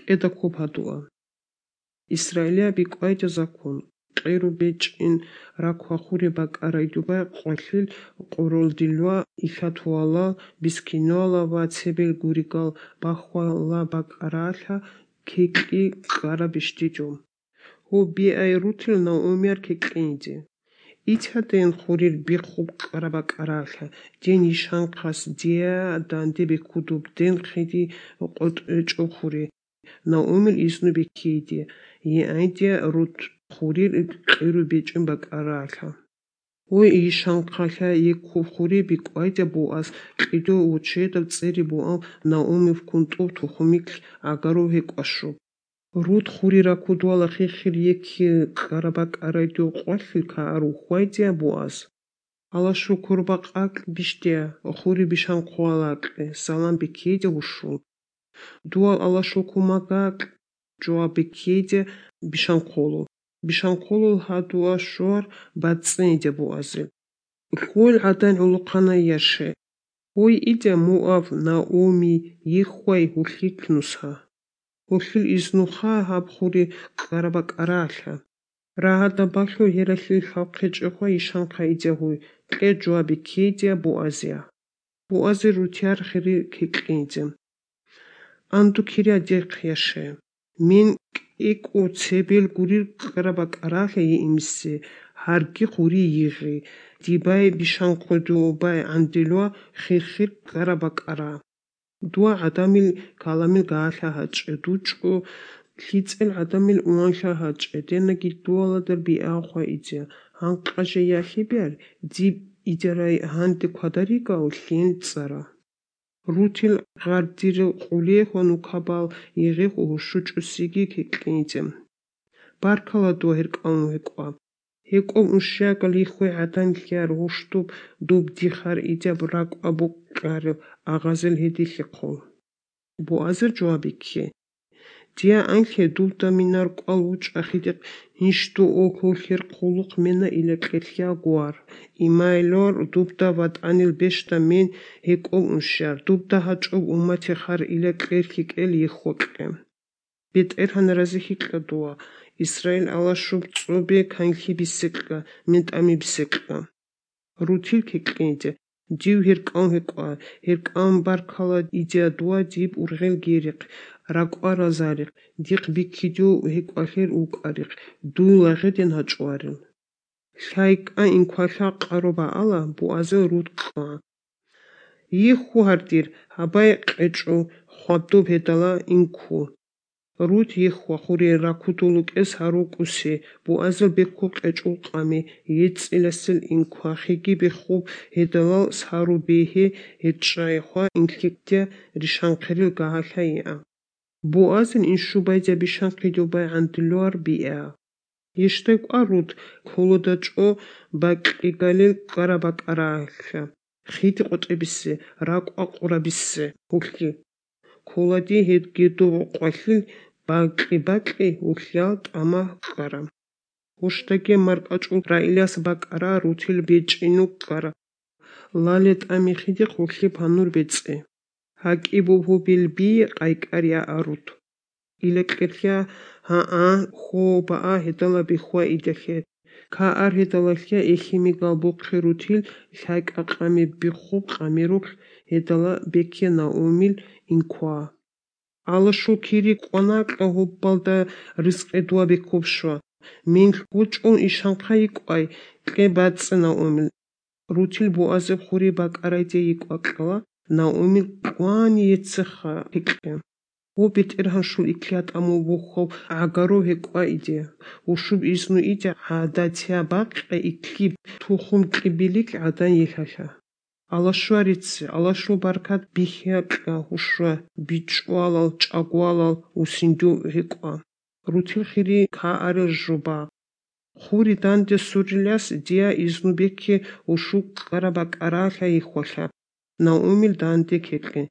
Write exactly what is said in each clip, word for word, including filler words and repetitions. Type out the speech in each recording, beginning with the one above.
кӀеда ккоб гьадуа. Исраилияб бикӀвайда закон, кьеру бечӀин раква хури бакӀарайдубай къвалъил къоролдилуа илъатуала, бискинуала ва цебел гуригал бахвала бакӀаралъа кекьи ккара бищдичӀо. Гьу, биай Рутил Наумияр кекьинде. Итхьаден хурир биххуб ккара бакӀаралъа, ден йишанхъас дия данде беккудуб ден хъиди къотӀечӀо хури. Наумил изну беккейде, гьеайде Рут хурир кьиру бечӀин бакӀаралъа. Гьой, йишанхъалъа еккуб хури бикӀвайда Буаз кьидо вочедаб цӀери Буав Наумив кунтӀуб тухумиклъ гӀагарав гьекӀващуб. Рут хури ракудвала хихир екки ккара бакӀарайдул къвалъил каар ухьвайдия Буаз. Алашукур бакъакь бищдия, хури бишанхъуалакье, салам беккейде гьушул. Дуал алашул кумагакь, жуа беккейде бишанхъулу. Бишанхъулул гьадуа щуар бацӀцӀинде Буазил. Хьул гӀадан гӀулухъана яше. Гьуй идя Муав, Науми, йиххвай гьулъикь нусха. Гьулъил изнуха гьаб хури ккара бакӀаралъа. Рагьада балъу гьералъил лъалхъечӀехъва йишанхъа идя гьуй, кье жуа беккейдия Буазия. Буази рутияр хири кекьинзе. Анду киря дехъ яше. Мин кӀикӀу цебел гурир ккара бакӀаралъа йиимсе, гьарги хури йигъи, дибай бишанхъудубай гӀандилуа хирхир ккара бакӀара. Дуа гӀадамил каламил гагьалъа гьачӀе, дучӀу лъицӀел гӀадамил уанлъа гьачӀе, денаги дуаладар биахъва идя, гьанкъа жеялъе биар, диб идерай гьанде квадаригав лъен цӀара. Рутил гъардирил къулехъо нукабал йигъихъ гьушучӀусиги кекьинзе. Баркала дуа гьеркӀавун гьекӀва. ГьекӀоб уншиягал йиххвей гӀадан лъияр гьуштуб дуб дихар идяб ракӀ абукьарил агъазел гьедилъехъул. Буазир жуаб бикке. Дия анлъе дубда минар кӀвал вучӀа хидихъ гьинщдуо куллъер хъулухъ мена илекьерлъи агуар. Имайлор дубда ватӀанил бещда мен гьекӀоб уншияр, дубда гьачӀоб умматихъар илекьерлъи кӀел йиххвакье. БетӀергьан разихьикьа дуа, Исраил алашуб цӀобе канлъи бисекьа, ментӀами бисекьа. Рутил кекьенде, див гьеркӀан гьекӀва, гьеркӀан баркала идиа дуа диб ургъел герихъ, ракӀва разарихъ, дихъ биккидев гьекӀвалъер вукӀарихъ, дуй лагъедин гьачӀварил. ЛъайкӀа инквалъа къаро баала, буазел рут кьа. Йихху гьардир, гьабай къечӀо, хвадуб гьедала инкку. Рут йиххва хуре ракудул вукӀес гьарукӀусе, буазел беккун къечӀул къами, ецӀиласел инква хиги беххуб гьедалал сару бегье гьечӀайхва инлъикӀдя ришанхъирил гагьалъа иа. Буазил иншубайзаб бишанхъидубай гӀандулуар биа. Гьищдай кӀва рут кколодачӀо бакьигалил ккара-бакӀаралъа, хиди къотӀебисе, ракӀва къурабисе гьулъи. Кколади гьедги дуб къвалъил бакьи-бакьи гьулъял тӀама ккара. Гьущдаги маркӀачӀул раилас бакӀара рутил бечӀину ккара. Лале тӀами хидихъ гьулъи панур бецӀе. ГьакӀи бугьу билби къайкӀар я арут. Илекьерлъа гьаа, хьо баа гьедала бихьва идалъе. Каар гьедалалъа эхимигал бухъе рутил лъайкӀа къами биххуб къамирухъ гьедала бекке Наумил инква. Алашул кири кӀванакьа гьуббалда ризкъи дуа беккуб щва. Мин гьучӀун ишанхъа йикӀвай, кье бацӀцӀе Наумил. Рутил буазеб хури бакӀарайде йикӀвакьала, Наумил кӀвани еццеха гьикье. Гьу, БетӀергьаншул иклъа тӀаму бухьав гӀагаро гьекӀва иде, гьушуб изну иде гӀадатия бакьа иклъи тухум кьибилик гӀадан йилъалъа. Алашварице, алашул баркат бихьа кьа гьушра, бичӀвалал, чӀагвалал, усиндув гьекӀва. Рутил хири каарел жуба. Хури данде сурилас дия изну бекке гьушул ккара-бакӀаралъа йихьвалъа, Наумил данде кекье.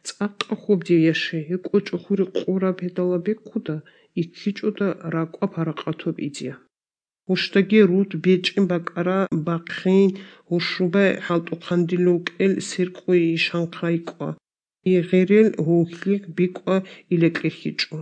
ЦӀакъа хоб дев яше, гьекӀо чӀухури къураб гьедала беккуда, иккичӀуда ракӀва паракъатоб идия. Гьущдаги рут бечӀин бакӀара бахъин, гьушубай хӀалтӀухъандилукӀел сиркъуй ишанхъай кӀва. Гъерел гьугьлихъ бикӀа илекьлъичӀо.